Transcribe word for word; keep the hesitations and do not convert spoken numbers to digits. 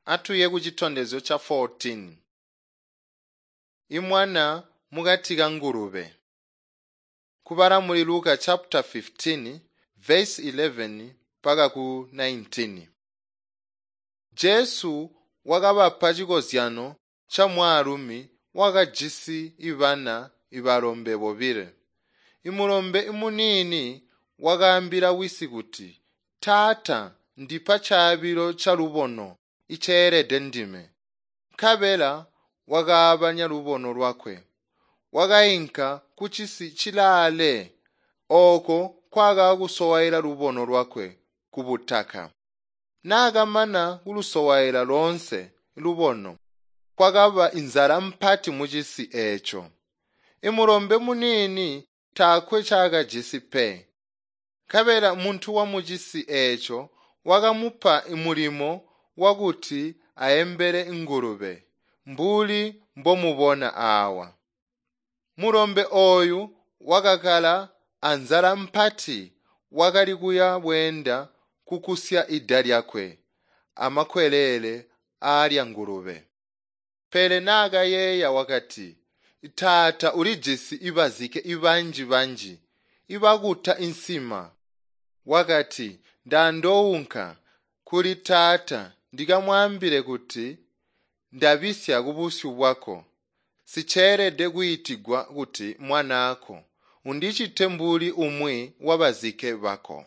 Atuye kucitondezyo ca fourteen. Imwana mukati ka ngulube. Kubala muli Luka chapter fifteen verse eleven mpaka ku nineteen. Jesu wakabapa cikozyano ca mwaalumi wakajisi ibana ibalombe bobile. Imulombe muniini wakaambila wisi kuti, "Taata, ndipa caabilo calubono iceelede ndime." Nkabela wakaabanya lubono lwakwe. Wakainka kucisi cilaale, ooko nkwaakakusowaila lubono lwakwe kubutaka. Naakamana kulusowaila loonse lubono, kwakaba inzala mpati mucisi eeco. Imulombe muniini taakwe ncaakajisi pe. Nkabela muntu wamucisi eeco wakamupa mulimo wakuti aembele ngulube, mbuli mbomubona aawa. Mulombe ooyu wakakkala anzala mpati, wakali kuya bweenda kukusya ida lyakwe amakwelele aalya ngulube. Pele naakayeeya wakati, "Taata ulijisi ibazike banji-banji ibakuta insima." Wakati, "Ndandounka kuli taata ndikamwaambile kuti ndabisya kubusyu bwako. Siceelede kwiitigwa kuti mwanaako. Undicite mbuli umwi wabazike bako."